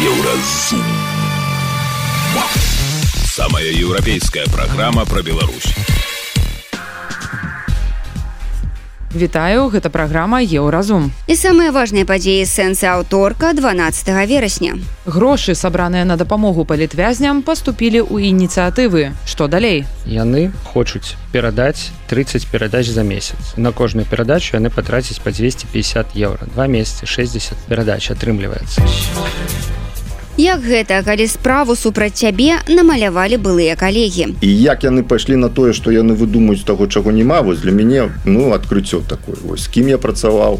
Еўразум. Самая еўрапейская праграма пра Беларусь. Вітаю, гэта праграма Еўразум. І самыя важныя падзеі сэнсы аўторка 12 верасня. Грошы, сабраныя на дапамогу палітвязням, паступілі ў ініцыятывы. Што далей? Яны хочуць перадаць 30 перадач за месяц. На кожную перадачу яны патрацяць па 250 еўра. 2 месяцы 60 перадач атрымліваецца. Як гэта, калі справу супраць цябе намалявалі былыя калегі? І як яны пайшлі на тое, што яны выдумаюць таго, чаго няма, вось для мяне, адкрыццё такое. Вось, з кім я працаваў.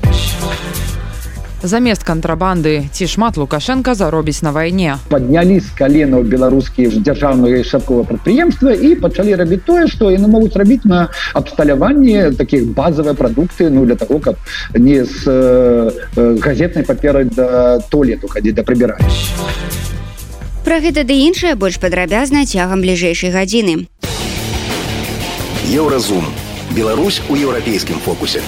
Замест кантрабанды, ці шмат Лукашенка заробіць на вайне. Паднялі з каленаў беларускія дзяржаўныя шапковыя прадпрыемствы і пачалі рабіць тое, што яны могуць рабіць на абсталяванні такіх базавыя прадукты, для таго, каб не з газетнай паперы да туалету хадзіць да прыбірання. Пра гэта ды іншае больш падрабязна цягам бліжэйшай гадзіны. Еўразум. Беларусь у еўрапейскім фокусе.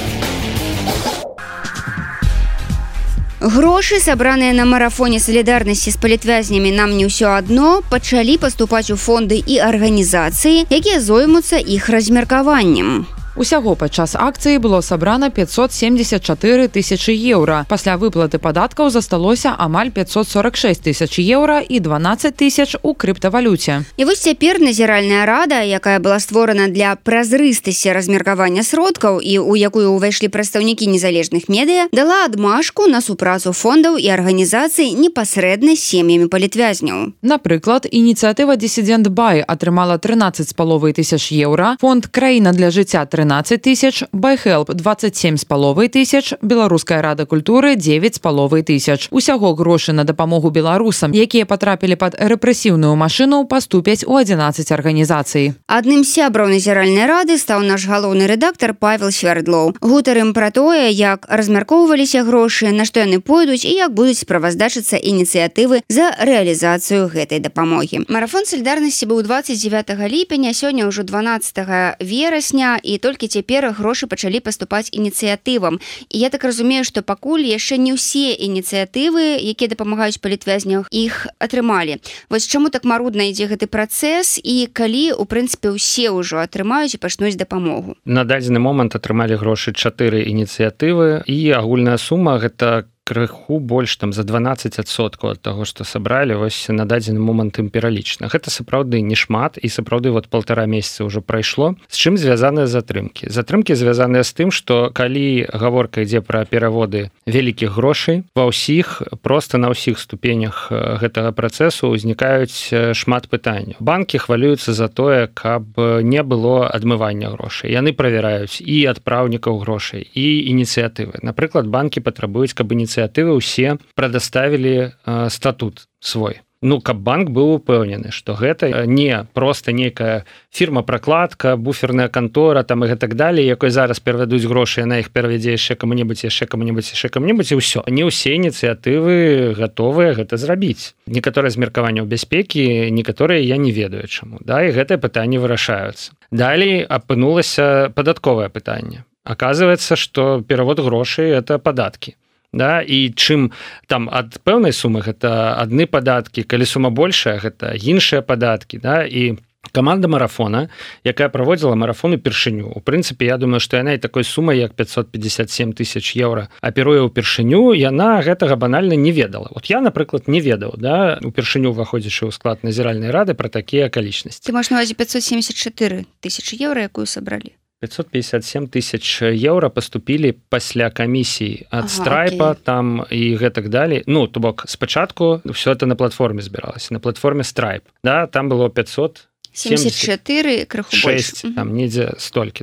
Грошы, сабраныя на марафоне салідарнасці з палітвязнямі «Нам не ўсё адно», пачалі паступаць у фонды і арганізацыі, якія зоймуцца іх размеркаваннем. Усяго падчас акцыі было сабрана 574 тысячы еўра. Пасля выплаты падаткаў засталося амаль 546 тысяч еўра і 12 тысяч у крыптавалюце. І вось цяпер назіральная рада, якая была створана для празрыстасці размеркавання сродкаў і у якую ўвайшлі прадстаўнікі незалежных медыя, дала адмашку на супрацу фондаў і арганізацый непасрэдна з сем'ямі палітвязняў. Напрыклад, ініцыятыва «Дисsident Бай» атрымала 13,5 тысяч еўра, фонд «Краіна для жыцця» 13 тысяч, Байхелп 27,5 тысяч, Беларуская рада культуры 9,5 тысяч. Усяго грошы на дапамогу беларусам, якія патрапілі пад рэпрэсіўную машыну, паступяць у 11 арганізацый. Адным з сябраў назіральнай рады стаў наш галоўны рэдактар Павел Свярдлоў. Гутарым пра тое, як размяркоўваліся грошы, на што яны пойдуць і як будуць справаздачыцца ініцыятывы за рэалізацыю гэтай дапамогі. Марафон салідарнасці быў 29 ліпеня, сёння ўжо 12 верасня, і толькі цяпер грошы пачалі паступаць ініцыятывам. І я так разумею, што пакуль яшчэ не ўсе ініцыятывы, якія дапамагаюць палітвязням, іх атрымалі. Вось чаму так марудна ідзе гэты працэс і калі, у прынцыпе, усе ўжо атрымаюць і пачнуць дапамогу? На дадзены момант атрымалі грошы 4 ініцыятывы і агульная сума гэта крыху больш за 12% ад таго, што сабралі, вось на дадзены момант ім пералічна. Гэта сапраўды не шмат і сапраўды 1,5 месяца ўжо прайшло. З чым звязаныя затрымкі? Затрымкі звязаныя з тым, што калі гаворка ідзе пра пераводы вялікіх грошай, ва ўсіх, проста на ўсіх ступенях гэтага працэсу ўзнікаюць шмат пытанняў. Банкі хвалююцца за тое, каб не было адмывання грошай. Яны правяраюць і адпраўнікаў грошай, і ініцыятывы. Напрыклад, банкі патрабуюць, каб ініцыятывы ўсе прадаставілі статут свой. Каб банк быў упэўнены, што гэта не проста нейкая фірма-пракладка, буферная кантора і гэтак далей, якой зараз перавядуць грошы, яна іх перавядзе яшчэ каму-небудзь, і ўсё. Не ўсе ініцыятывы гатовыя гэта зрабіць. Некаторыя змеркаванняў бяспекі, некаторыя я не ведаю чаму. І гэтыя пытанні вырашаюцца. Далей апынулася падатковае пытанне. Аказваецца, што перавод грошай – это падаткі. І чым там ад пэўнай сумы гэта адны падаткі, калі сума большая, гэта іншыя падаткі. І каманда марафона, якая праводзіла марафон упершыню, у прынцыпе, я думаю, што яна і такой сумай, як 557 тысяч еўра аперуе ўпершыню, яна гэтага банальна не ведала. Я, напрыклад, не ведаў, упершыню ўваходзячы ў склад назіральнай рады пра такія акалічнасці. Ты маеш на ўвазе 574 тысячы еўра, якую сабралі? 557 тысяч еўра паступілі пасля камісіі ад Страйпа там і гэтак далей. То бок, спачатку ўсё это на платформе збіралася, на платформе Страйп. Там было 574, крыху больш. Там недзе столькі,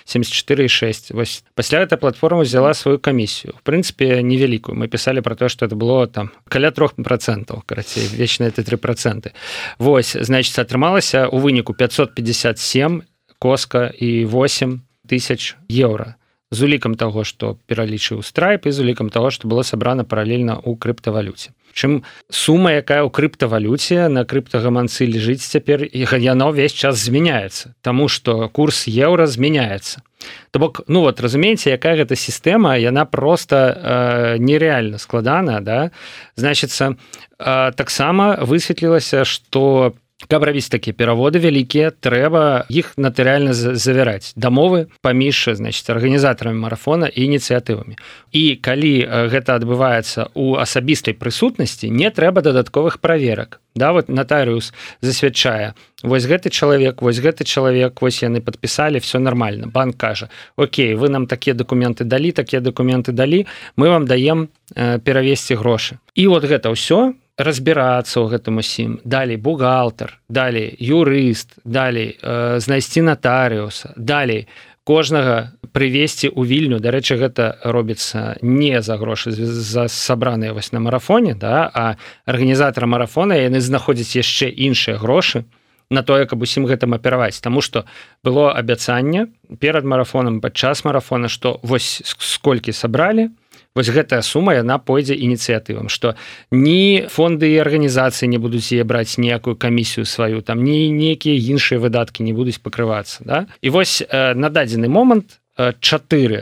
74,6. Вось пасля эта платформа взяла сваю камісію. В прынцыпе, невялікую. Мы пісалі пра тое, што это было там каля 3%, карацей, вечна это 3%. Вось, значыць, атрымалася у выніку 557 коска і 8 тысяч еўра. З улікам таго, што пералічыў Страйп, і з улікам таго, што было сабрана паралельна ў крыптавалюце. Чым сума, якая ў крыптавалюце на крыптагаманцы лежыць цяпер, яна ўвесь час змяняецца, таму што курс еўра змяняецца. То бок, ну вот разумееце, якая гэта сістэма, яна просто нереальна складана, да? Значыцца, таксама высветлілася, што каб рабіць такія пераводы вялікія, трэба іх натарыяльна завяраць дамовы паміж, значыць, арганізатарамі марафона і ініцыятывамі. І калі гэта адбываецца ў асабістай прысутнасці, не трэба дадатковых праверак. Да, вот натарыус засвядчае, вось гэты чалавек, вось яны падпісалі, все нормально. Банк кажа: окей, вы нам такія дакументы далі, мы вам даем перавесці грошы. І вот гэта ўсё, разбірацца ў гэтым усім, далей бухгалтар, далей юрыст, далей знайсці натарыуса, далей кожнага прывесці ў Вільню. Дарэчы, гэта робіцца не за грошы за сабраныя вось на марафоне, да, а арганізатары марафона яны знаходзяць яшчэ іншыя грошы на тое, каб усім гэтым апераваць. Таму што было абяцанне перад марафонам, падчас марафона, што вось сколькі сабралі, вось гэтая сума, яна пойдзе ініцыятывам, што ні фонды і арганізацыі не будуць яе браць ніякую камісію сваю, там ні нейкія іншыя выдаткі не будуць пакрывацца. Да? І вось на дадзены момант 4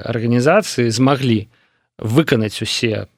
арганізацыі змаглі выканаць усе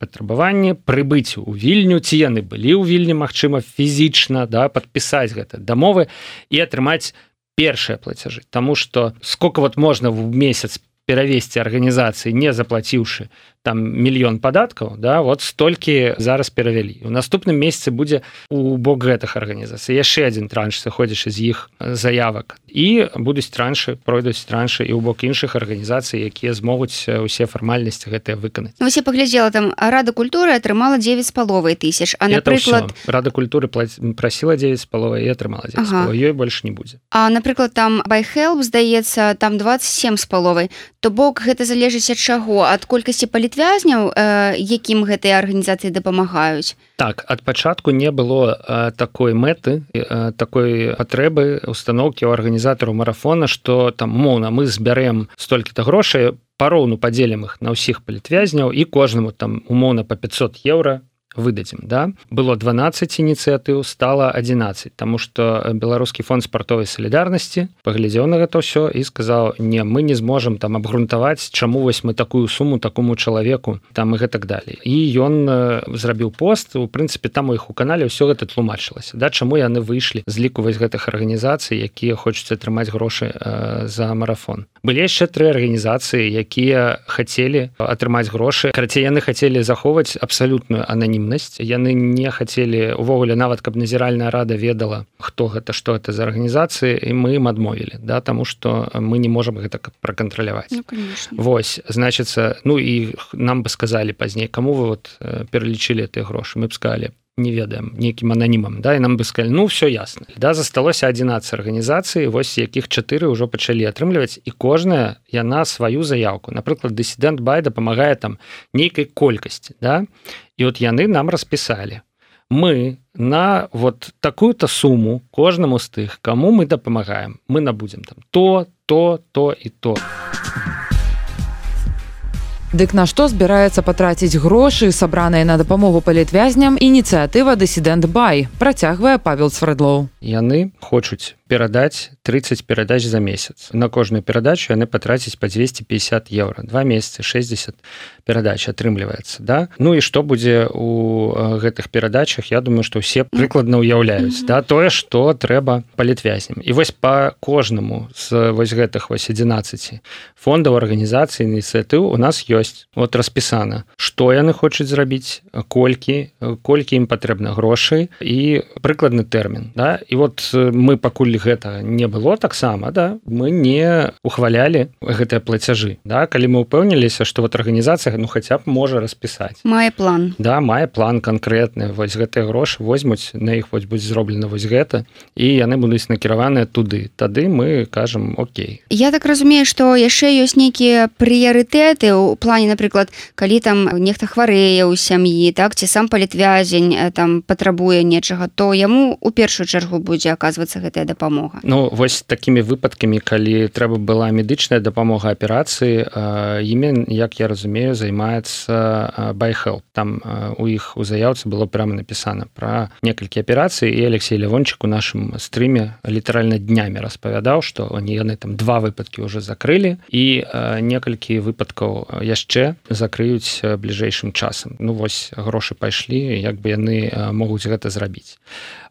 патрабаванні, прыбыць у Вільню, ці яны былі ў Вільні, магчыма, фізічна, да, падпісаць гэта дамовы і атрымаць першыя плацяжы. Таму што сколько вот можна в месяц перавесці арганізацыі, не заплаціўшы там 1 мільён падаткаў, да, вот столькі зараз перавялі. У наступным месяцы будзе у бок гэтых арганізацый яшчэ адзін транш, сыходзячы з іх заявак. І будуць траншы, пройдуць траншы і ў бок іншых арганізацый, якія змогуць усе фармальнасці гэтыя выканаць. Ну, вось я паглядзела, там Рада культуры атрымала 9,5 тысяч, а напрыклад... Рада культуры прасіла 9,5 і атрымала 9,5, ёй больш не будзе. А, напрыклад, там BuyHelp, здаецца, там 27,5. То бок гэта залежыць ад чаго? Ад колькасці палітвязняў, якім гэтыя арганізацыі дапамагаюць? Так, ад пачатку не было такой мэты, такой патрэбы, установкі ў арганізатару марафона, што там, умоўна, мы збярэм столькі-то грошай, пароўну падзелім іх на ўсіх палітвязняў і кожнаму там умоўна па 500 еўра выдадзім, да? Было 12 ініцыятыў, стала 11, таму што Беларускі фонд спартовай салідарнасці паглядзеў на гэта ўсё і сказаў: не, мы не зможам там абгрунтаваць, чаму вось мы такую суму такому чалавеку там і гэтак далей. І ён зрабіў пост, у прынцыпе там у іх у канале ўсё гэта тлумачылася, да, чаму яны выйшлі з ліку вось гэтых арганізацый, якія хочуць атрымаць грошы за марафон. Былі яшчэ 3 арганізацыі, якія хацелі атрымаць грошы. Карацей, яны хацелі захоўваць абсалютную ананімнасць. Яны не хацелі увогуле нават, каб назіральная рада ведала, хто гэта, што гэта за арганізацыі, і мы ім адмовілі, да, таму што мы не можам гэта пракантраляваць. Ну, конечно. Вось, значыцца, ну і нам бы сказалі пазней, каму вы вот пералічылі гэтыя грошы, мы б сказалі: не ведаем, нейкім ананімам, да, і нам бы сказалі: ну, все ясна. Да, засталося 11 арганізацый, вось якіх 4 ўжо пачалі атрымліваць, і кожная яна сваю заявку. Напрыклад, Dissident Buy дапамагае там нейкай колькасці, да, і от яны нам распісалі: мы на вот такую-то суму кожнаму з тых, каму мы дапамагаем, мы набудзем там то і то. Дык на што збіраецца патраціць грошы, сабраныя на дапамогу палітвязням, ініцыятыва Dissident Buy, працягвае Павел Свердлоў. Яны хочуць перадаць 30 перадач за месяц. На кожную перадачу яны патрацяць па 250 еўра. 2 месяцы 60 перадач атрымліваецца, да? Ну і што будзе ў гэтых перадачах, я думаю, што ўсе прыкладна ўяўляюць, да, тое, што трэба палітвязням. І вось па кожнаму з вось гэтых вось 11 фондаў, арганізацый, ініцыятыў у нас ёсць вот распісана, што яны хочуць зрабіць, колькі ім патрэбна грошай і прыкладны тэрмін, да? І вот мы пакуль гэта не было таксама, да, мы не ухвалялі гэтыя плацяжы, да? Калі мы ўпэўніліся, што вот арганізацыя, ну, хаця б можа распісаць. Мае план. Да, мае план канкрэтны, вось гэтыя грошы возьмуць, на іх вось будзе зроблена вось гэта, і яны будуць накіраваныя туды. Тады мы кажам: окей. Я так разумею, што яшчэ ёсць нейкія прыярытэты ў плане, напрыклад, калі там нехта хварэе ў сям'і, так, ці сам палітвязень там патрабуе нечага, то яму у першую чаргу будзе аказвацца гэтая дапамога. дапамога? Ну вось такімі выпадкамі, калі трэба была медычная дапамога аперацыі, імі, як я разумею, займаецца BuyHelp. Там у іх у заяўцы было прямо напісана пра некалькі аперацый, і Алексей Лявончык у нашым стрыме літаральна днямі распавядаў, што яны там 2 выпадкі ўжо закрылі і некалькі выпадкаў яшчэ закрыюць бліжэйшым часам. Ну вось грошы пайшлі, як бы яны могуць гэта зрабіць.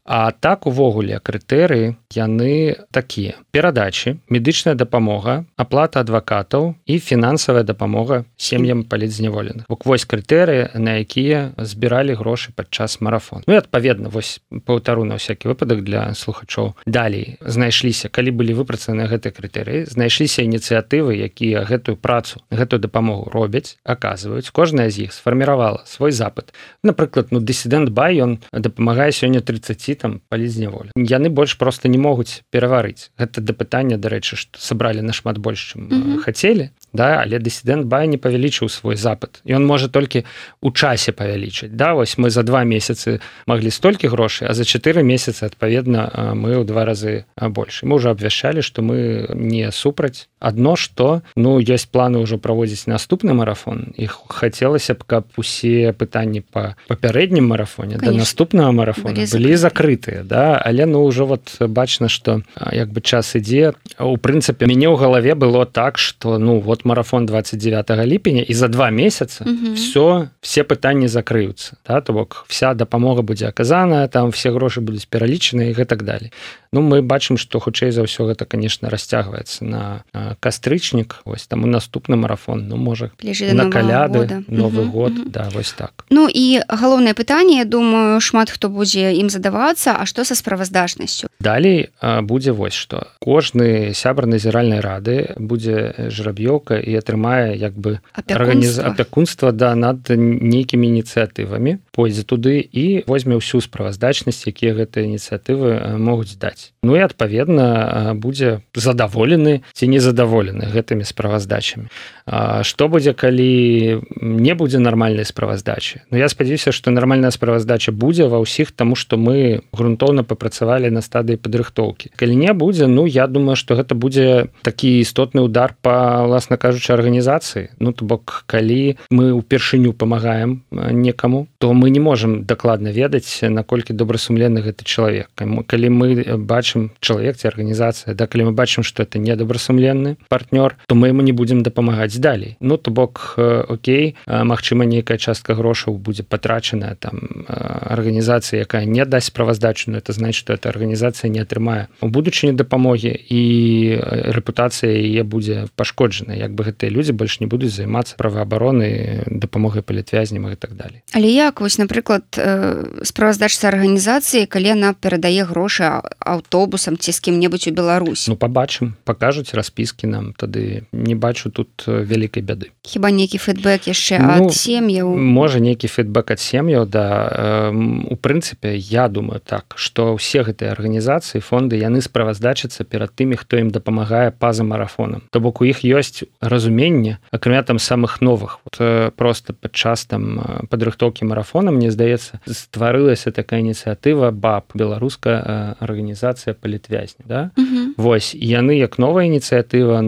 А так увогуле крытэрыі яны такія: перадачы, медычная дапамога, аплата адвакатаў і фінансавая дапамога сем'ям палітзняволеных. Вось крытэрыі, на якія збіралі грошы падчас марафона. Ну і адпаведна, вось паўтару на всякі выпадак для слухачоў. Далей знайшліся, калі былі выпрацаваны гэтыя крытэрыі, знайшліся ініцыятывы, якія гэтую працу, гэтую дапамогу робяць, аказваюць. Кожная з іх сфарміравала свой запыт. Напрыклад, Dissident Buy, ён дапамагае сёння 30 там палітзняволі. Яны больш проста не могуць пераварыць. Гэта да пытання, дарэчы, што сабралі нашмат больш, чым хацелі, да, але Dissident Buy не павялічыў свой запыт. Ён можа толькі ў часе павялічыць. Да, вось мы за 2 месяцы маглі столькі грошай, а за 4 месяцы, адпаведна, мы ў 2 разы больш. Мы ўжо абвяшчалі, што мы не супраць. Адно, што, ёсць планы ўжо праводзіць наступны марафон. І хацелася б, каб усе пытанні па папярэднім марафоне да наступнага марафона былі закрытыя, да, але ўжо вот бачна, што як бы час ідзе. У прынцыпе, мяне ў галаве было так, што вот марафон 29 ліпеня, і за 2 месяца все пытанні закрыюцца, да, то бок вся дапамога будзе аказаная, там все грошы будуць пералічаны і гэтак далей. Мы бачым, што хутчэй за ўсё гэта, конечно, расцягваецца на кастрычнік, вось там у наступны марафон, можа на каляды, Новы год, да, вось так. І галоўнае пытанне, я думаю, шмат хто будзе ім задавацца, а што са справаздачнасцю? Далей будзе вось што. Кожны сябар назіральнай рады будзе жраб'ёўка і атрымае як бы апякунства над нейкімі ініцыятывамі, пойдзе туды і возьме ўсю справаздачнасць, якія гэтыя ініцыятывы могуць даць. І адпаведна будзе задаволены ці незадаволены гэтымі справаздачамі. Што будзе, калі не будзе нармальнай справаздачы? Я спадзяюся, што нармальная справаздача будзе ва ўсіх, таму што мы грунтоўна папрацавалі на стадыі падрыхтоўкі. Калі не будзе, я думаю, што гэта будзе такі істотны удар па, власна кажучы, арганізацыі. То бок, калі мы ўпершыню памагаем некаму, то мы не можам дакладна ведаць, наколькі добрасумленны гэты чалавек. Калі мы бачым чалавек ці арганізацыя, да, калі мы бачым, што это недобрасумленны партнёр, то мы яму не будзем дапамагаць далей. То бок, окей, магчыма, нейкая частка грошаў будзе патрачаная там арганізацыя, якая не дасць справаздачу, но это значит, што эта арганізацыя не атрымае у будучыні дапамогі і рэпутацыя яе будзе пашкоджана. Як бы гэтыя людзі больш не будуць займацца праваабаронай, дапамогай палітвязням і так далей. Але як, вось, напрыклад, справаздача арганізацыі, калі яна перадае грошы аўтобусам ці з кім-небудзь у Беларусь? Пабачым, пакажуць распіскі нам, тады не бачу тут вялікай бяды. Хіба нейкі фідбэк яшчэ ад сем'яў? Можа, нейкі фідбэк ад сем'яў, да. У прынцыпе, я думаю так, што ўсе гэтыя арганізацыі, фонды, яны справаздачацца перад тымі, хто ім дапамагае па-за марафонам. То бок у іх ёсць разуменне, акрамя там самых новых. Просто падчас там падрыхтоўкі марафона, мне здаецца, стварылася такая ініцыятыва БАП, беларуская арганізацыя палітвязня, да? Вось, яны як новая ініцыятыва,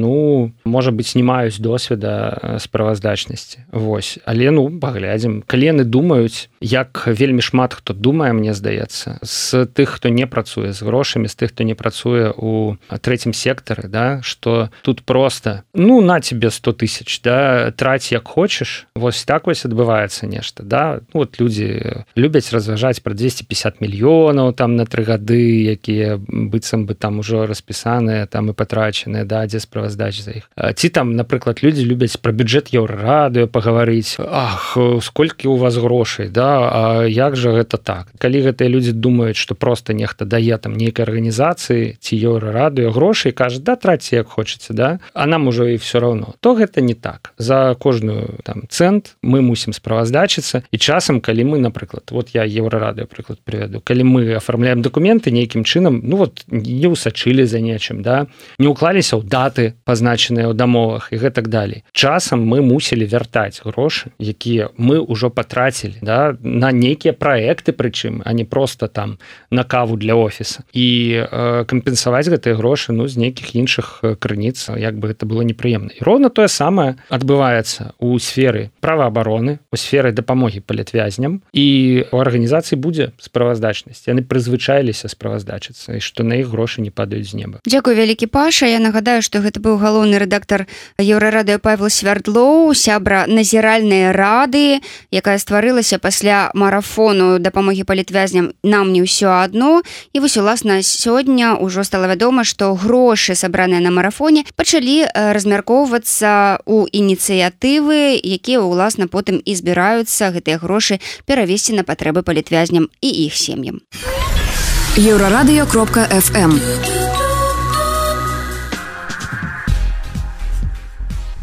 можа быць, не маюць досведа справаздачнасці. Вось, але паглядзім. Калі яны думаюць, як вельмі шмат хто думае, мне здаецца, з тых, хто не працуе з грошамі, з тых, хто не працуе ў трэцім сектары, да, што тут проста, на тебе 100 000, да, траць як хочаш, вось так вось адбываецца нешта, да. Людзі любяць разважаць пра 250 мільёнаў там на 3 гады, якія быццам бы там ужо распісаныя, там і патрачаныя, да, дзе справаздача за іх. Ці там, напрыклад, людзі любяць пра бюджэт Еўрарадыё пагаварыць. Ах, сколькі у вас грошай, да, а як жа гэта так? Калі гэтыя людзі думаюць, што проста нехта дае там нейкай арганізацыі ці Еўрарадыё грошай, кажа, да, траце як хочаце, да, а нам ужо і все равно, то гэта не так. За кожную там цэнт мы мусім справаздачыцца, і часам, калі мы, напрыклад, вот я Еўрарадыё прыклад прывяду, калі мы афармляем дакументы нейкім чынам, не ўсачылі за нечым, да, не ўклаліся ў даты, пазначаныя ў дамовах і гэтак далей. Часам мы мусілі вяртаць грошы, якія мы ўжо патрацілі, да, на нейкія праекты, прычым, а не просто там на каву для офіса. І кампенсаваць гэтыя грошы, ну, з нейкіх іншых крыніц, як бы гэта было непрыемна. І роўна тое самае адбываецца ў сферы праваабароны, у сферы дапамогі палітвязням, і у арганізацыі будзе справаздачнасць. Яны прызвычаіліся справаздачыцца, і што на іх грошы не падаюць з неба. Дзякуй вялікі, Паша. Я нагадаю, што гэта быў галоўны рэдактар Еўрарадыё Павел Свярдлоў, сябра назіральнай рады, якая стварылася пасля марафону дапамогі палітвязням «Нам не ўсё адно». І вось, уласна, сёння ўжо стала вядома, што грошы, сабраныя на марафоне, пачалі размяркоўвацца ў ініцыятывы, якія, уласна, потым і збіраюцца гэтыя грошы перавесці на патрэбы палітвязням і іх сем'ям. Еўрарадыё.фм.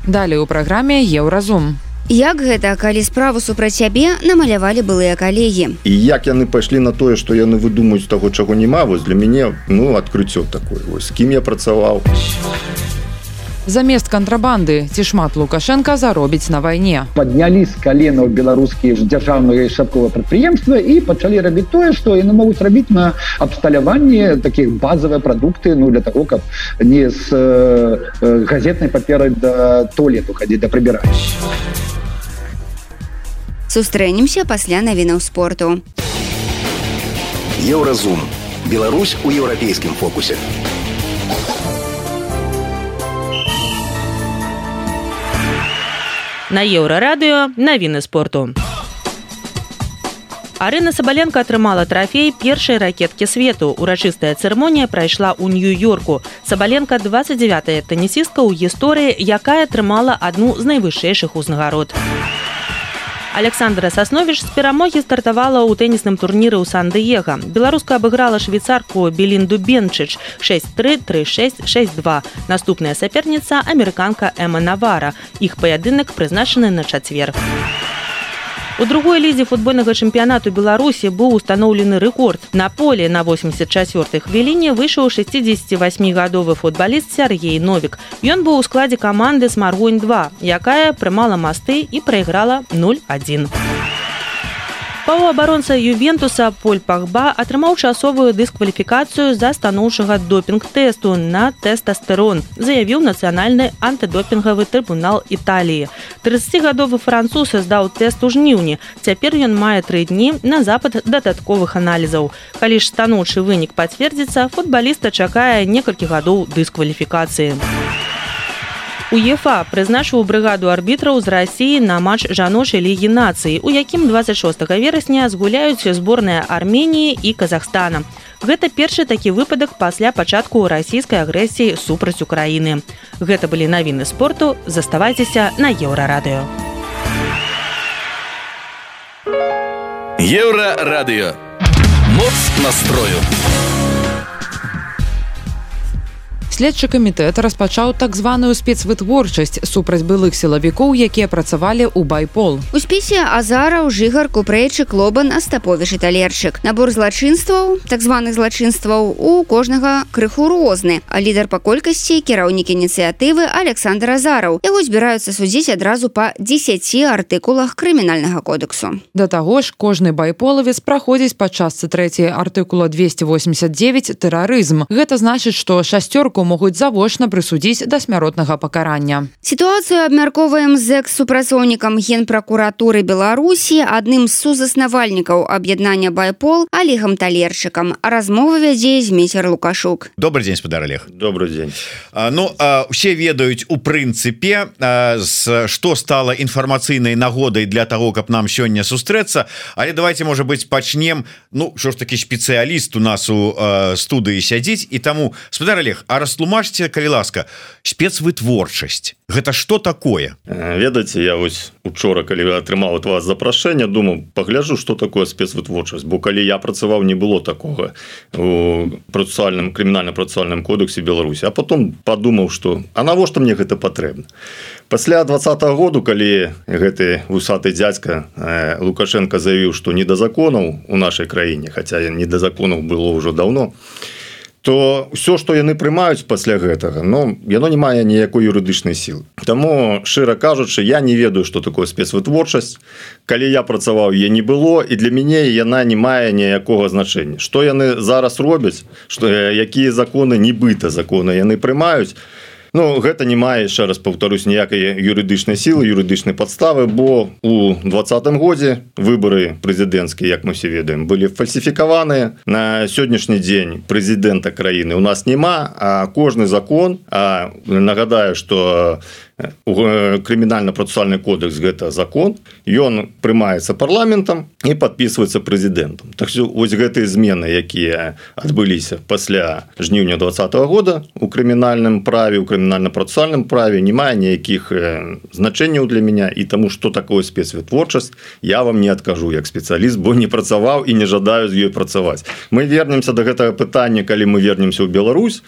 Далей у праграме «Еўразум». Як гэта, калі справу супраць сябе намалявалі былыя калегі? І як яны пайшлі на тое, што яны выдумаюць таго, чаго няма, вось для мяне, ну, адкрыццё такое. Вось з кім я працаваў. Замест кантрабанды ці шмат Лукашенка заробіць на вайне. Паднялі з каленаў беларускія дзяржаўныя шапковыя прадпрыемствы і пачалі рабіць тое, што яны могуць рабіць на абсталяванні такіх базавыя прадукты, ну, для таго, каб не з газетнай паперы да туалету хадзіць, да прыбіраць. Сустрэнемся пасля навінаў спорту. Еўразум. Беларусь у еўрапейскім фокусе. На Еўрарадыё навіны спорту. Арына Сабаленка атрымала трафей першай ракеткі свету. Урачыстая цырымонія прайшла ў Нью-Йорку. Сабаленка 29-я тэнісістка ў гісторыі, якая атрымала адну з найвышэйшых узнагарод. Александра Сасновіч з перамогі стартавала ў тэнісным турніры ў Сан-Дыега. Беларуска абыграла швейцарку Белінду Бенчыч 6-3, 3-6, 6-2. Наступная саперніца – амерыканка Эма Навара. Іх паядынак прызначаны на чацвер. У другой лізе футбольнага чэмпіянату Беларусі быў устаноўлены рэкорд. На поле на 84-й хвіліне выйшаў 68-гадовы футбаліст Сергей Новік. Ён быў у складзе каманды «Смаргонь-2», якая прымала масты і прайграла 0-1. Паўабаронца Ювентуса Поль Пагба атрымаў часовую дыскваліфікацыю з-за станоўчага допінг-тэсту на тэстастерон, заявіў нацыянальны антыдопінгавы трыбунал Італіі. 30-гадовы француз здаў тэст у жніўні. Цяпер ён мае 3 дні на запад дадатковых аналізаў. Калі ж станоўчы вынік пацвердзіцца, футбаліста чакае некалькі гадоў дыскваліфікацыі. УЕФА прызначыў брыгаду арбітраў з Расіі на матч жаночай лігі нацый, у якім 26 верасня згуляюць зборныя Арменіі і Казахстана. Гэта першы такі выпадак пасля пачатку расійскай агрэсіі супраць Украіны. Гэта былі навіны спорту. Заставайцеся на Еўрарадыё. Еўрарадыё. Моц настрою. Следчы камітэт распачаў так званую спецвытворчасць супраць былых сілавікоў, якія працавалі ў Байпол. У спісе Азараў, Жыгар, Купрэйчык, Лобан, Астаповіч і Талерчык. Набор злачынстваў, так званых злачынстваў, у кожнага крыху розны. А лідар па колькасці, кіраўнік ініцыятывы Александр Азараў. Яго збіраюцца судзіць адразу па 10 артыкулах крымінальнага кодексу. Да таго ж, кожны байполавец праходзіць па частцы 3 артыкула 289 тэрарызм. Гэта значыць, што шасцёрку могуць завочна прысудзіць да смяротнага пакарання. Сітуацыю абмяркоўваем з экс-супрацоўнікам Генпракуратуры Беларусі, адным з сузаснавальнікаў аб'яднання Байпол Олегам Талерчыкам. Размова вядзе Змейцер Лукашук. Добрый день, спадар Олег. Добрый день. Усе ведаюць у прынцыпе, што стала інфармацыйнай нагодай для таго, каб нам сёння сустрэцца, але давайте, можа быць, пачнем, што ж такі спецыяліст у нас у студыі сядзіць, і таму, спадар Олег, растлумачце, калі ласка, спецвытворчасць. Гэта што такое? Ведаеце, я вось учора, калі атрымаў ад вас запрашэнне, думаў, пагляджу, што такое спецвытворчасць, бо калі я працаваў, не было такога у крымінальна-працэсуальным кодексе Беларусі, а потом падумаў, што а навошта мне гэта патрэбна? Пасля 20-го году, калі гэты вусаты дзядзька Лукашенко заявіў, што не да законаў у нашай краіне, хаця не да законаў было ўжо даўно, то ўсё што яны прымаюць пасля гэтага, ну яно не мае ніякой юрыдычнай сілы. Таму шчыра кажучы, я не ведаю што такое спецвытворчасць. Калі я працаваў, я не было, і для мяне яна не мае ніякога значэння. Што яны зараз робяць, што якія законы, нібыта законы яны прымаюць. Ну, гэта не мае, яшчэ раз паўтарусь, ніякай юрыдычнай сілы, юрыдычнай падставы, бо у 2020 годзе выбары прэзідэнцкія, як мы все ведаем, былі фальсіфікаваныя. На сённяшні дзень прэзідэнта краіны у нас няма, а кожны закон, нагадаю, што крымінальна-працэсуальны кодекс гэта закон, ён прымаецца парламентам і падпісваецца прэзідэнтам. Так што вось гэтыя змены, якія адбыліся пасля жніўня 2020 года у крымінальным праве, у крымінальна-працэсуальным праве не мае ніякіх значэнняў для мяне, і таму што такое спецвытворчасць я вам не адкажу як спецыяліст, бо не працаваў і не жадаю з ёй працаваць. Мы вернемся да гэтага пытання, калі мы вернемся ў Беларусь.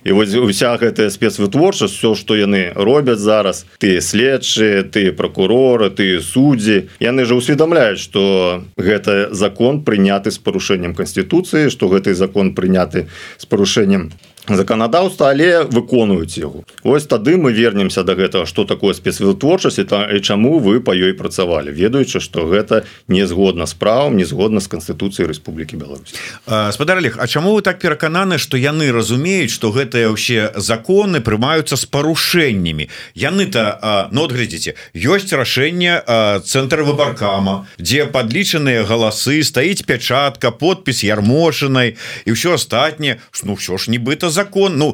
І вось уся гэтая спецвытворчасць, все, што яны робяць зараз, тыя следчыя, тыя пракуроры, тыя суддзі, яны ж усведамляюць, што гэта закон прыняты з парушэннем Канстытуцыі, што гэты закон прыняты з парушэннем заканадаўства, але выконваюць яго. Вось тады мы вернемся да гэтага, што такое спецвытворчасць і чаму вы па ёй працавалі, ведаючы, што гэта не згодна з правам, не згодна з Канстытуцыяй Рэспублікі Беларусь. Спадар Олег, а чаму вы так перакананы, што яны разумеюць, што гэтыя ўсе законы прымаюцца з парушэннямі? Яны-то, ну, глядзіце, ёсць рашэнне цэнтра выбаркама, дзе падлічаныя галасы, стаіць пячатка, подпіс Ярмошынай і ўсё астатняе, ну, ўсё ж нібыта закон, ну,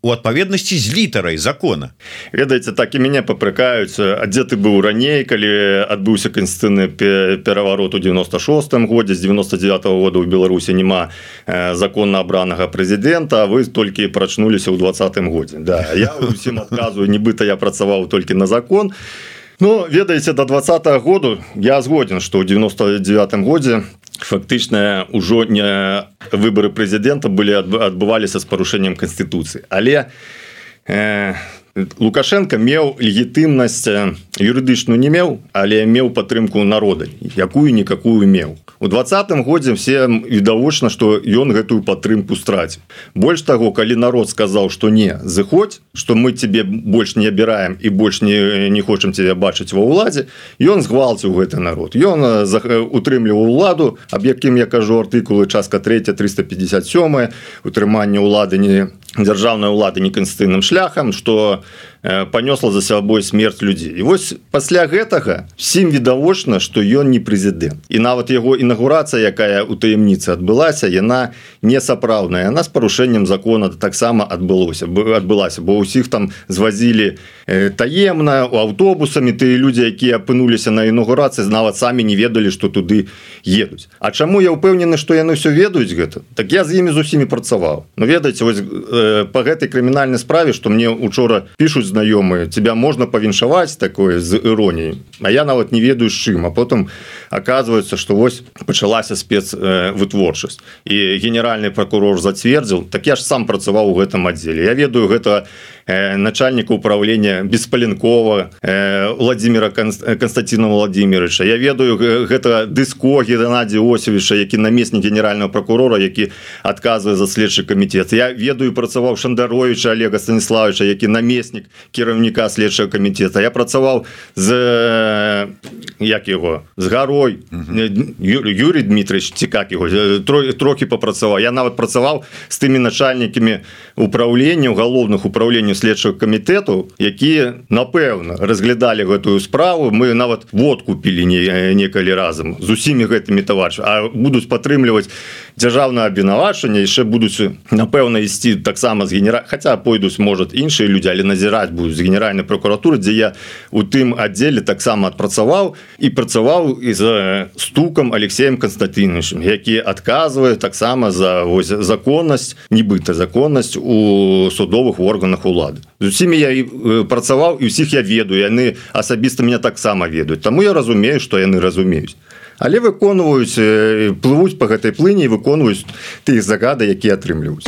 у адпаведнасці з літарай закона. Ведаеце, так і мяне папракаюць, а дзе ты быў раней, калі адбыўся канстытуцыйны пераварот у 96-м годзе, з 99-го года ў Беларусі няма законна абранага прэзідэнта, а вы толькі прачнуліся ў 20-м годзе. Да, я усім адказваю, нібыта я працаваў толькі на закон. Ну, ведаеце, до 20-го году я згоден, што ў 99-м годзе фактычна ўжо не выбары прэзідэнта адбываліся з парушэннем Канстытуцыі. Але Лукашенко меў легітымнасць юрыдычную не меў, але меў падтрымку народа, якую-никакую меў. У 20-м годзе все відавочна, што ён гэтую падтрымку страціў. Больш таго, калі народ сказаў, што не, зыходзь, што мы тебе больш не абіраем і больш не хочам тебе бачыць ва ўладзе, ён згвалціў гэты народ. Ён утрымліваў уладу, аб якім я кажу артыкулы частка 3, 357, утрыманне ўлады дзяржаўнай улады неканстытуцыйным шляхам, што панёсла за сабой смерць людзей. І вось пасля гэтага всім відавочна, што ён не прэзідэнт. І нават яго інаўгурацыя, якая ў таямніцы адбылася, яна не сапраўдная. Яна з парушэннем закона таксама адбылася, бо ўсіх там звазілі таемна аўтобусамі, тыя людзі, якія апынуліся на інаўгурацыі, нават самі не ведалі, што туды едуць. А чаму я ўпэўнены, што яны ўсё ведаюць гэта? Так я з імі з усімі працаваў. Ну, ведаеце, вось па гэтай крымінальнай справе, што мне учора пішуць знаёмыя, тебя можна павіншаваць такое з іроніяй, а я нават не ведаю з чым, а потым оказывается, што вось пачалася спецвытворчасць і генеральны прокурор зацвердзіў, так я ж сам працаваў у гэтым аддзеле. Я ведаю гэта начальника управления Беспаленкова Владимира Константина Владимировича. Я ведаю гэта Дыско Геннадия Осевича, які намеснік генерального прокурора, які адказвае за следчы камітэт. Я ведаю, працаваў Шандаровича Олега Станиславовича, які намеснік кіраўніка следчага камітэта. Я працаваў з з Гарой Юрий Дмитриевич, ці как его, трохи попрацаваў. Я нават працаваў з тымі начальнікамі управлення, уголовных управленняў следчага камітэту, якія, напэўна, разглядалі гэтую справу. Мы нават водку пілі некалі разам з усімі гэтымі таварышамі, а будуць падтрымліваць дзяржаўнае абвінавачванне, яшчэ будуць, напэўна, ісці таксама з хаця пойдуць, можа, іншыя людзі, але назіраць будуць з генеральнай прокуратуры, дзе я у тым аддзеле таксама адпрацаваў і працаваў і за Стукам Алексеем Константиновичем, які адказвае таксама за законнасць, нібыта законнасць у судовых органах улады. З усімі я працаваў і ўсіх я ведаю, яны асабіста мяне таксама ведаюць. Таму я разумею, што яны разумеюць. Але выконваюць, плывуць па гэтай плыні і выконваюць тыя загады, якія атрымліваюць.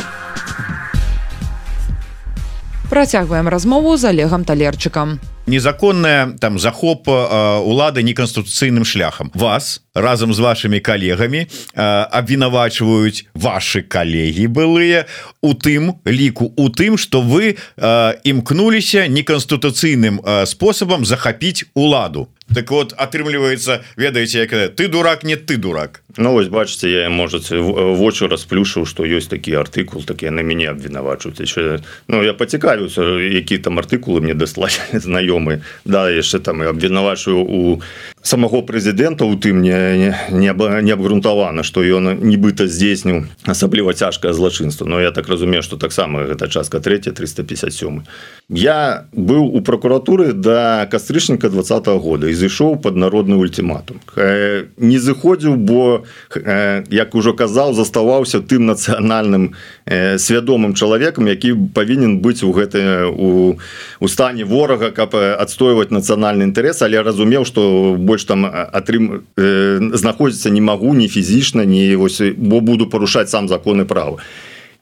Працягваем размову з Олегом Талерчыкам. Незаконная там захоп улады неканстытуцыйным шляхам. Вас разам з вашымі калегамі абвінавачваюць вашы калегі былыя у тым ліку у тым, што вы імкнуліся неканстытуцыйным спосабам захапіць уладу. Так вот, атрымліваецца, ведаеце, як ты дурак, не ты дурак. Ну, вось, бачыце, я, можаце, вочы расплюшыў, што ёсць такі артыкул, так яны мяне абвінавачваюць. Ну, я пацікавіўся, які там артыкулы мне даслалі знаёмыя. Да, яшчэ там абвінавачваю у самого прэзідэнта у тым не абгрунтавана, што ён нібыта здзейсніў асабліва цяжкае злачынства. Но я так разумею, што таксама гэта частка 3, 357. Я быў у прокуратуры да кастрычніка 20-го года і зышоў пад народны ультиматум. Не зыходзіў, бо, як ужо казаў, заставаўся тым нацыянальным свядомым чалавекам, які павінен быць у стане ворага, каб адстойваць нацыянальны інтарэс, але разумеў, што больш там знаходзіцца не магу, ні фізічна, бо буду парушаць сам законы права.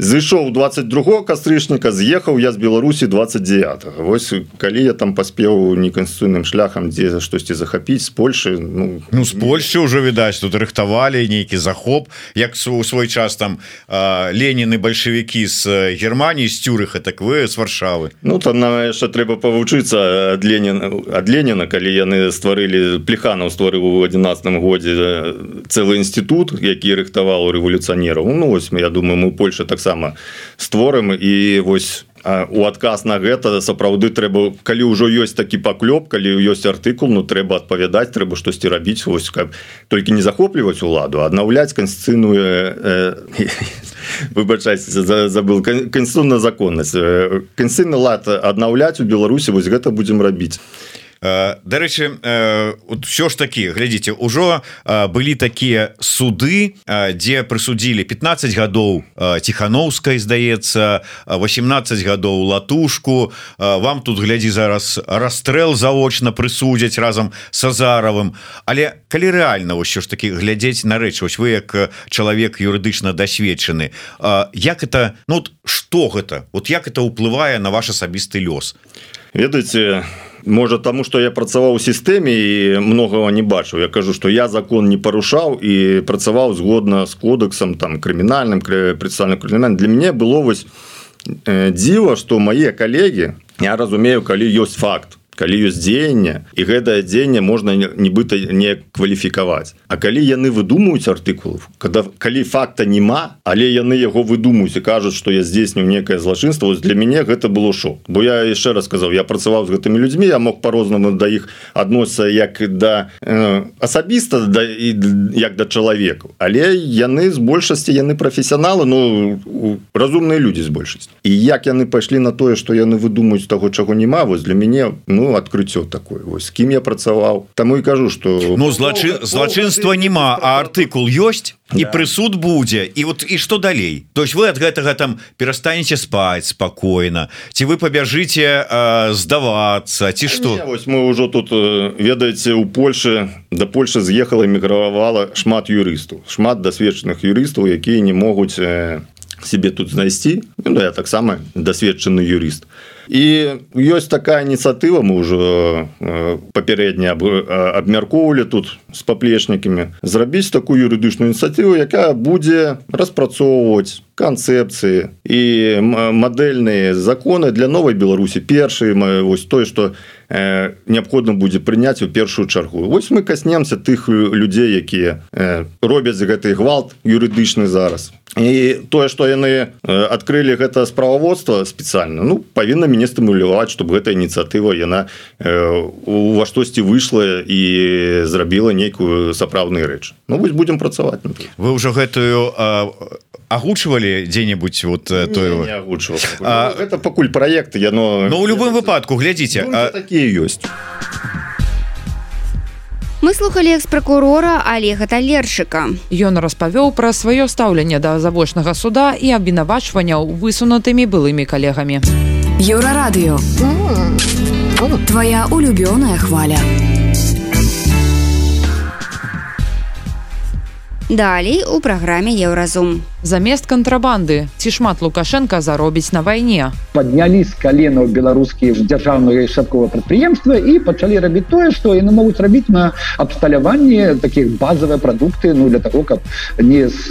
Зышоў 22-го кастрычніка, з'ехаў я з Беларусі 29-го. Вось калі я там паспеў неканстытуцыйным шляхам дзе штосьці захапіць з Польшы, ну з Польшы ўжо відаць, тут рыхтавалі нейкі захоп, як у свой час там Ленін і бальшавікі з Германіі, з Цюрыха, так вы з Варшавы. Ну там яшчэ трэба павучыцца ад Леніна, калі яны стварылі, Плеханаў стварыў у 11-м годзе цэлы інстытут, які рыхтаваў рэвалюцыянераў. Ну вось, я думаю, мы Польша таксама створым, і вось у адказ на гэта сапраўды трэба, калі ўжо ёсць такі паклёп, калі ёсць артыкул, ну трэба адпавядаць, трэба штосьці рабіць, вось каб толькі не захопліваць уладу, аднаўляць канстытуцыйную выбачайце, забыл, канстытуцыйную законнасць, канстытуцыйны лад аднаўляць у Беларусі, вось гэта будзем рабіць. Дарэчы, ўсё ж такі, глядзіце, ужо былі такія суды, дзе прысудзілі 15 гадоў Ціханаўскай, здаецца, 18 гадоў Латушку. Вам тут, глядзі, зараз расстрэл заочна прысудзяць разам з Азаравым. Але калі рэальна ўсё ж такі глядзець на рэч, вось вы як чалавек юрыдычна дасведчаны, як это, ну што гэта? Вот як это ўплывае на ваш асабісты лёс? Ведаеце, можа таму, што я працаваў у сістэме і многага не бачыў. Я кажу, што я закон не парушаў і працаваў згодна з кодексам там крымінальным, працэсуальным крымінальным. Для мяне было вось дзіва, што мае калегі, я разумею, калі ёсць факт, калі ёсць дзеянне, і гэтае дзеянне можна нібыта не кваліфікаваць. А калі яны выдумаюць артыкулы, калі факта няма, але яны яго выдумаюць і кажуць, што я здзейсню некае злачынства, вось для мяне гэта было шок. Бо я яшчэ раз сказаў, я працаваў з гэтымі людзьмі, я мог па-рознаму да іх адносіцца як да асабіста, як да чалавекаў. Але яны з большасці, яны прафесіяналы, ну, разумныя людзі з большасці. І як яны пайшлі на тое, што яны выдумаюць таго, чаго няма, вось для мяне, ну, адкрыццё такое. Вось з кім я працаваў. Таму і кажу, што... Ну, злачынства няма, а артыкул ёсць, і прысуд будзе. І вот і што далей? То есть вы ад гэтага там перастанеце спаць спакойна, ці вы пабяжыце здавацца, ці што? Вось мы ўжо тут, ведаеце, у Польшы, да Польшы з'ехала, эмігравала шмат юрыстаў. Шмат дасведчаных юрыстаў, якія не могуць себе тут знайсці. Ну, я таксама дасведчаны юрыст. І ёсць такая ініцыятыва, мы ўжо папярэдне абмяркоўвалі тут з паплечнікамі, зрабіць такую юрыдычную ініцыятыву, якая будзе распрацоўваць канцэпцыі і мадэльныя законы для новай Беларусі. Першы, вось тое, што неабходна будзе прыняць у першую чаргу. Вось мы каснемся тых людзей, якія робяць гэты гвалт юрыдычны зараз. І тое, што яны адкрылі гэта справаводства спецыяльна, ну, павінна мяне стымуляваць, чтобы гэтая ініцыятыва, яна ва штосьці выйшла і зрабіла нейкую сапраўдную рэч. Ну, вось будзем працаваць. Вы ўжо гэтую агучвалі дзе-небудзь вот тое? Не агучваў. Гэта пакуль праект, яно... Ну, у любым выпадку, глядзіце. Такія ёсць. Мы слухали экс-пракурора Олега Талерчыка. Ён распавёў пра сваё стаўленне да завочнага суда і абвінавачванняў высунутымі былымі калегамі. Еўрарадыё. Твоя улюбёная хваля. Далей у праграме Еўразум. Замест кантрабанды. Ці шмат Лукашенко заробіць на вайне? Паднялі з каленаў беларускія дзяржаўныя шапковыя прадпрыемствы і пачалі рабіць тое, што яны могуць рабіць на абсталяванні такіх базавыя прадукты, для таго, каб не з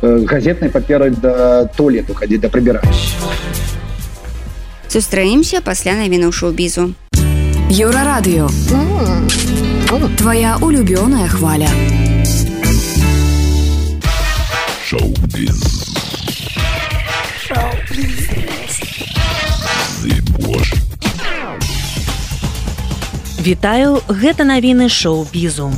газетнай паперы да туалету хадзіць да прыбірання. Сустраемся пасля навінаў шоу-бізу. Еўрарадыё. Твоя улюбёная хваля. Шоу-біз. Вітаю, гэта навіны шоу-бізу.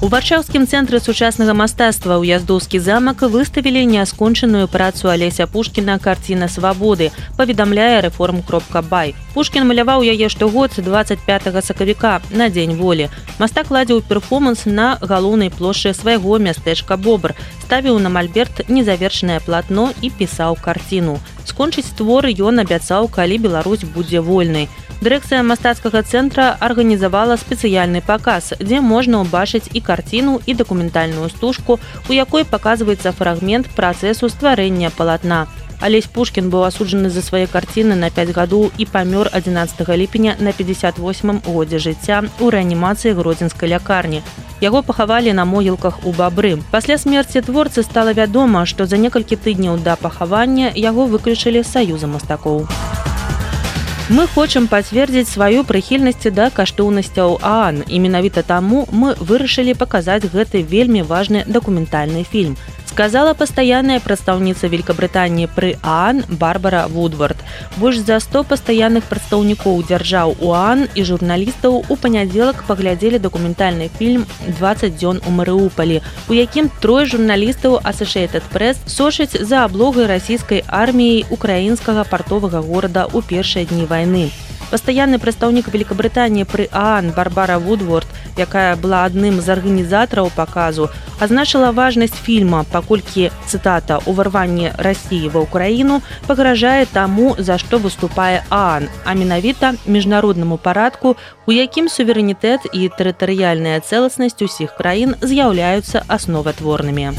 У варшаўскім цэнтры сучаснага мастацтва Уяздоўскі замак выставілі няскончаную працу Алеся Пушкіна «Карціна свабоды», паведамляе Reform.by. Пушкін маляваў яе штогод 25 сакавіка на Дзень волі. Мастак ладзіў перформанс на галоўнай плошчы свайго мястэчка Бобр, ставіў на мальберт незавершанае платно і пісаў карціну. Скончыць творы ён абяцаў, калі Беларусь будзе вольнай. Дырэкцыя мастацкага цэнтра арганізавала спецыяльны паказ, дзе можна ўбачыць і карціну, і дакументальную стужку, у якой паказваецца фрагмент працэсу стварэння палатна. Алесь Пушкін быў асуджаны за свае карціны на 5 гадоў і памёр 11 ліпеня на 58-м годзе жыцця ў рэанімацыі гродзенскай лякарні. Яго пахавалі на могілках у Бабры. Пасля смерці творцы стала вядома, што за некалькі тыдняў да пахавання яго выключылі з саюза мастакоў. Мы хочам пацвердзіць сваю прыхільнасць да каштоўнасцяў ААН, і менавіта таму мы вырашылі паказаць гэты вельмі важны дакументальны фільм, сказала пастаянная прадстаўніца Великабрытаніі пры ААН Барбара Вудвард. Больш за 100 пастаянных прадстаўнікоў дзяржаў ААН і журналістаў у панядзелак паглядзелі дакументальны фільм «20 дзён у Марыуполі», у якім 3 журналістаў Associated Press сочаць за аблогай расійскай арміяй украінскага партовага горада ў першыя дні вайны. Пастаянны прадстаўнік Великабрытаніі пры ААН Барбара Вудворд, якая была адным з арганізатараў паказу, азначыла важнасць фільма, паколькі, цытата, «уварванне Расіі ва Ўкраіну пагражае таму, за што выступае ААН, а менавіта міжнароднаму парадку, у якім суверэнітэт і тэрытарыяльная цэласнасць усіх краін з'яўляюцца асноватворнымі».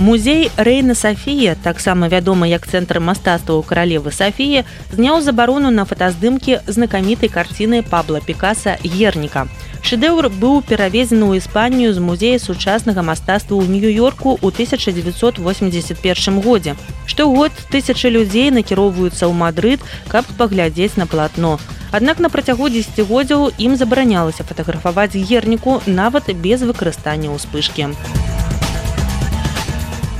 Музей Рэйна Сафія, таксама вядомы як цэнтр мастацтва каралевы Сафіі, зняў забарону на фотаздымкі знакамітай карціны Пабло Пікаса «Герніка». Шэдэўр быў перавезены ў Іспанію з музея сучаснага мастацтва ў Нью-Йорку ў 1981 годзе. Штогод тысячы людзей накіроўваюцца ў Мадрыд, каб паглядзець на палатно. Аднак на працягу дзесяцігоддзяў ім забаранялася фатаграфаваць Герніку нават без выкарыстання ўспышкі.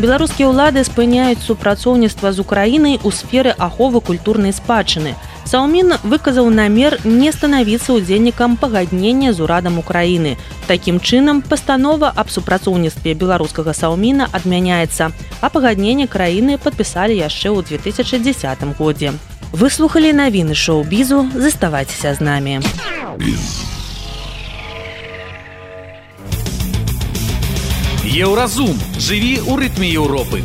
Беларускія ўлады спыняюць супрацоўніцтва з Украінай у сферы аховы культурнай спадчыны. Саўмін выказаў намер не станавіцца ўдзельнікам пагаднення з урадам Украіны. Такім чынам, пастанова аб супрацоўніцтве беларускага Саўміна адмяняецца, а пагадненне краіны падпісалі яшчэ ў 2010 годзе. Выслухалі навіны шоу-бізу, заставайцеся з намі. Еўразум. Жыві ў рытме Еўропы.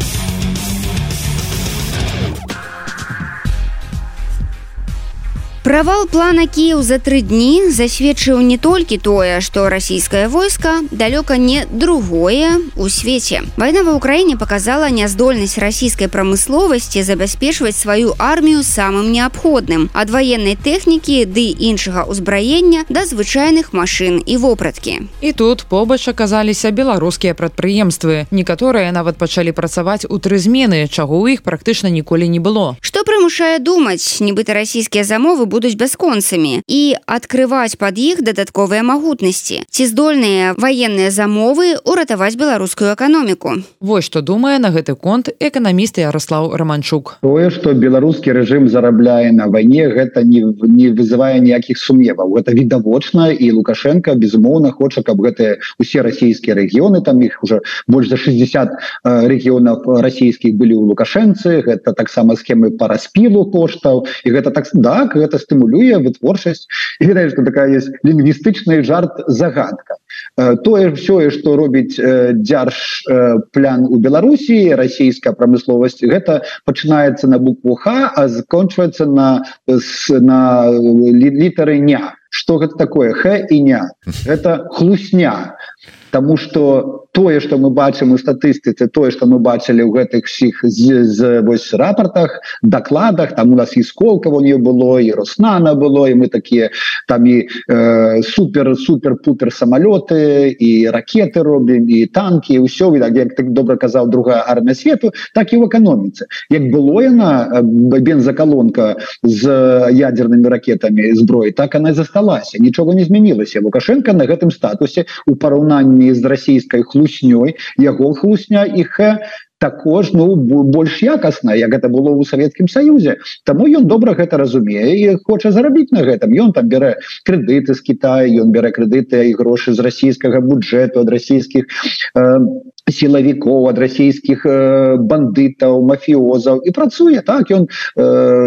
Правал плана Кіеў за 3 дні засведчыў не толькі тое, што расійскае войска далёка не другое у свеце. Вайна ва ўкраіне паказала няздольнасць расійскай прамысловасці забяспечваць сваю армію самым неабходным, ад ваеннай тэхнікі ды іншага ўзбраення да звычайных машын і вопраткі. І тут побач аказаліся беларускія прадпрыемствы. Некаторыя нават пачалі працаваць у 3 змены, чаго ў іх практычна ніколі не было. Што прымушае думаць, нібыта расійскія замовы будуць бясконцамі і адкрываць пад іх дадатковыя магутнасці. Ці здольныя ваенныя замовы ўратаваць беларускую эканоміку? Вось што думае на гэты конт эканаміст Ярослаў Раманчук. Тое, што беларускі рэжым зарабляе на вайне, гэта не вызывае ніякіх сумневаў. Гэта відавочна, і Лукашенко, безумоўна, хоча, каб гэтыя усе расійскія рэгіёны, там іх уже больш за 60 рэгіёнаў расійскіх былі ў Лукашэнцы, гэта таксама схемы па распілу коштаў, і гэта так, гэта стымулюе вытворчасць. І відаць, што такая есть лінгвістычны жарт-загадка. Тое ўсё, што робіць дзяржплян у Беларусі, расійская прамысловасць, гэта пачынаецца на букву Х, а скончваецца на літары ня. что гэта такое х і ня, это хлусня. Тому что тое, что мы бачым у статыстыцы, тое, что мы бачылі ў гэтых всіх вось рапортах, докладах, там у нас і Сколково у нее было, і Роснана было, і мы такие там і супер-пупер самолеты, і ракеты робім, і танки, і ўсё, як так добра казаў другая армія свету, так і ў эканоміцы. Як было яна бензоколонка з ядернымі ракетамі зброі, так она і засталася, нічога не змянілася. Лукашенко на гэтым статусе у параўнанні з расійскай хлуснёй, яго хлусня іх також больш якасна, як гэта было ў Савецкім Саюзе. Таму ён добра гэта разумее і хоча зарабіць на гэтым. Ён там бярэ крэдыты з Китая, ён бярэ крэдыты і грошы з расійскага бюджэту, ад расійскіх сілавікоў, ад расійскіх бандытаў, мафіозаў і працуе так. Ён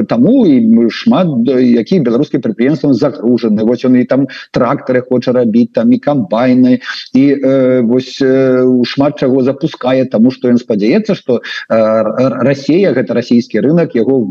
таму і шмат якіх беларускіх прадпрыемстваў загружаны. Вось ён і там трактары хоча рабіць, там і камбайны, і вось шмат чаго запускае, таму што ён спадзяецца, что Россия, гэта расійскі рынок, яго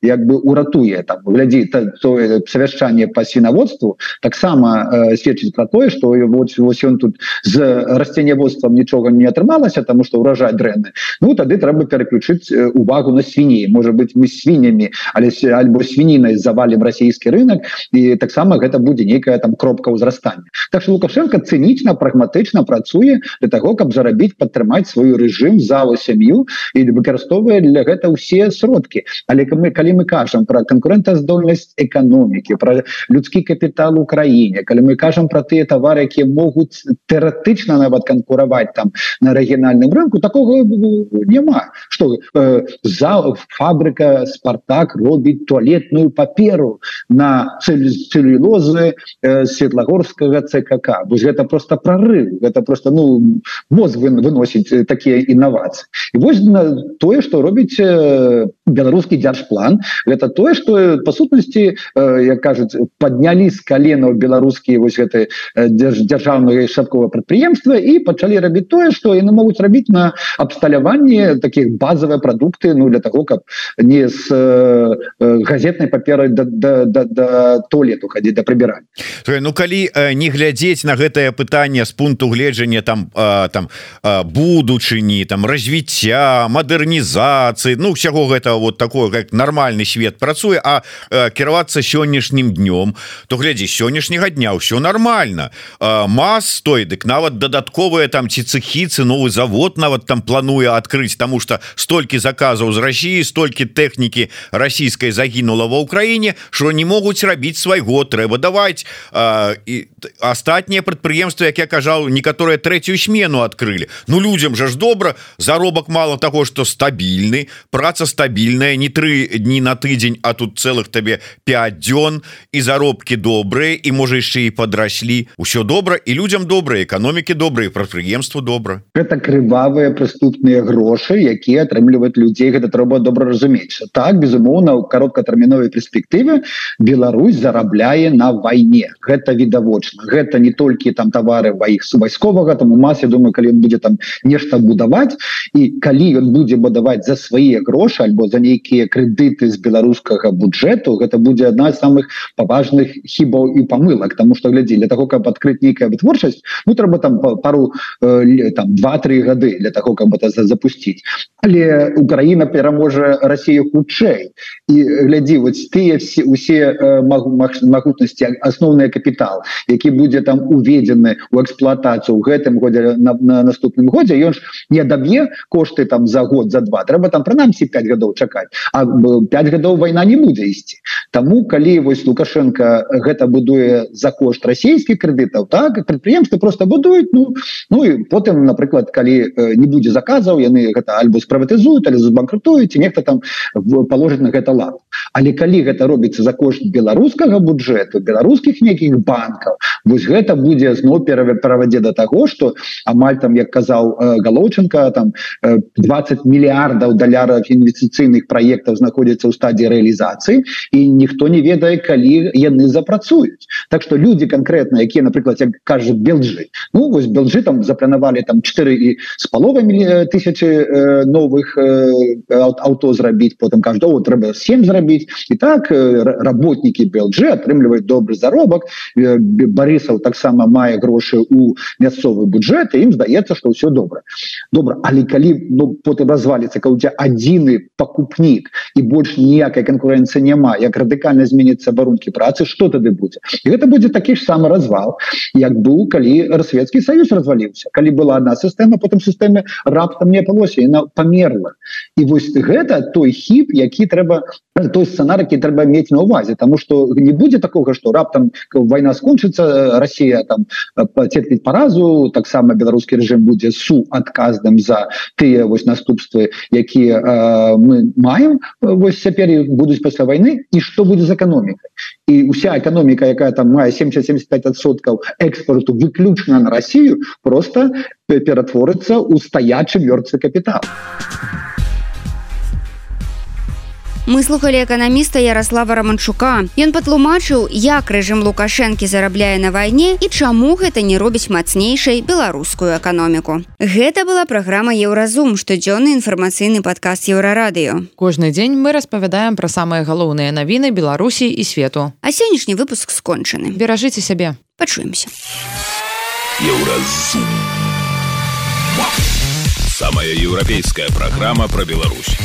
як бы уратуе. Там глядзі, тое совяшчанне по свіноводству таксама сведчыць про тое, что вось ён тут з расценяводствам нічога не атрымалася, тому что урожай дрэнны. Ну тады трэба переключыць увагу на свіней. Может быть, мы свіннямі альбо свінінай завалим расійскі рынок, і таксама гэта будзе нейкая там кропка ўзрастання. Так что Лукашенко цынічна, прагматычна працуе для того, каб зарабіць, падтрымаць свой рэжым, залу, сям'ю, і выкарыстоўвае для гэта ўсе сродкі. Але калі мы кажам про канкурэнтаздольнасць эканомікі, про людскі капітал у краіне, калі мы кажам про тыя тавары, якія могуць тэоретычна нават канкураваць там на рэгіянальным рынку, такого няма. Што фабрыка Спартак робіць туалетную паперу на цэлюлозы Светлагорскага ЦКК. Вось гэта просто прорыв, гэта просто мозг выносіць такія інавацыі. І вось тое, што робіць беларускі дзяржплан, гэта тое, што па сутнасці, як кажуць, паднялі з каленаў беларускія вось гэты дзяржаўныя шапковыя прадпрыемствы і пачалі рабіць тое, што яны могуць рабіць на абсталяванне такіх базавыя прадукты, для того, каб не з газетнай паперай да туалету хадзіць, да прыбірання. Калі не глядзець на гэтае пытанне з пункту гледжання там будучыні, там развіцця, мадэрнізацыі, ўсяго гэта вот такое, как нармальны свет працуе, а кіравацца сённяшнім днём, то глядзі, сённяшняга дня ўсё нормально. МАЗ той, дык нават дадатковыя там ці цэхі, ці новы завод нават там плануе адкрыць, таму што столькі заказаў з Расіі, столькі тэхнікі расійскай загінула ва ўкраіне, што не могуць рабіць свайго, трэба даваць. І астатнія прадпрыемствы, як я кажаў, некаторыя трэцюю смену адкрылі. Людзям жа ж добра, заробак мало таго, што стабільны, праца стабільная, не 3 дні на тыдзень, а тут цэлых табе 5 дзён, і заробкі добрыя, і можа яшчэ і падраслі. Усё добра, і людзям добра, эканомікі добра, і прадпрыемству добра. Гэта крывавыя прыступныя грошы, якія атрымліваюць людзей, гэта трэба добра разумець. Так, безумоўна, у кароткатэрміновай перспектыве Беларусь зарабляе на вайне. Гэта відавочна. Гэта не толькі там тавары вайсковага, там у МАЗ, я думаю, калі ён будзе там нешта будаваць, і калі ён будзе будаваць за свае грошы альбо за нейкія крэдыты з беларускага бюджэту, гэта будзе адна з самых паважных хібаў і памылак, тому што глядзі, для того, каб адкрыць нейкая вытворчасць, трэба там пару там 2-3 гады для того, каб это запусціць. Але Украіна пераможа Расію хутчэй. І глядзі, вось тыя усе магутнасці, асноўны капітал, які будзе там уведзены ў эксплуатацыю ў гэтым годзе, на наступным годзе, ён ж не адаб'е кошты там за год, за 2. Трэба там прынамсі 5 гадоў чакаць. А 5 гадоў вайна не будзе ісці. Таму, калі вось Лукашенко гэта будуе за кошт расійскіх крэдытаў, так, прадпрыемствы просто будуюць, і потым, напрыклад, калі не будзе заказаў, яны гэта альбо спрыватызуюць, альбо збанкрутуюць, і нехта там паложыць на гэта лад. Але калі гэта робіцца за кошт беларускага бюджэту, беларускіх нейкіх банкаў, вось гэта будзе зноў перавядзе да таго, што амаль там, як казаў Галоўченко, там 20 мільярдаў долараў інвестыцыйных праектаў знаходзяцца ў стадіі рэалізацыі, і ніхто не ведае, калі яны запрацуюць. Так што людзі канкрэтна, якія, напрыклад, як кажуць, белджы, вось белджы там запланавалі там 4 4,5 тысячи новых авто зрабіць, потым каждого трэба 7 зрабіць. І так работники БЛЖ атрымліваюць добры заробак. Барысаў таксама мае грошы у мясцовы бюджэт, і ім здаецца, што ўсё добра. Але калі потым разваліцца, калі у тебя адзіны пакупнік і больш ніякай канкурэнцыі няма, як радыкальна зменяцца варункі працы, што тады будзе? І гэта будзе такі ж самы развал, як быў, калі Савецкі Саюз разваліўся. Калі была одна сістэма, потым сістэма раптам не апалося, яна памерла. І вось гэта той хіп, які трэба, той сцэнар, які трэба мець на ўвазе, таму што не будзе такога, што раптам вайна скончыцца, Расія там пацерпіць паразу, таксама беларускі рэжым будзе суадказным за тыя вось наступствы, якія мы маем вось цяпер і будуць пасля вайны, і што будзе з эканомікай. І ўся эканоміка, якая там мае 70-75% экспорту выключна на Расію, просто ператворыцца ў стаячы мёртвы капітал. Мы слухали эканаміста Ярослава Романчука. Ён патлумачыў, як рэжым Лукашэнкі зарабляе на вайне і чаму гэта не робіць мацнейшай беларускую эканоміку. Гэта была праграма Еўразум, штодзённы інфармацыйны падкаст Еўрарадыё. Кожны дзень мы распавядаем пра самыя галоўныя навіны Беларусі і свету. А сённяшні выпуск скончаны. Беражыце сябе. Пачуемся. Еўразум. Самая еўрапейская праграма пра Беларусь.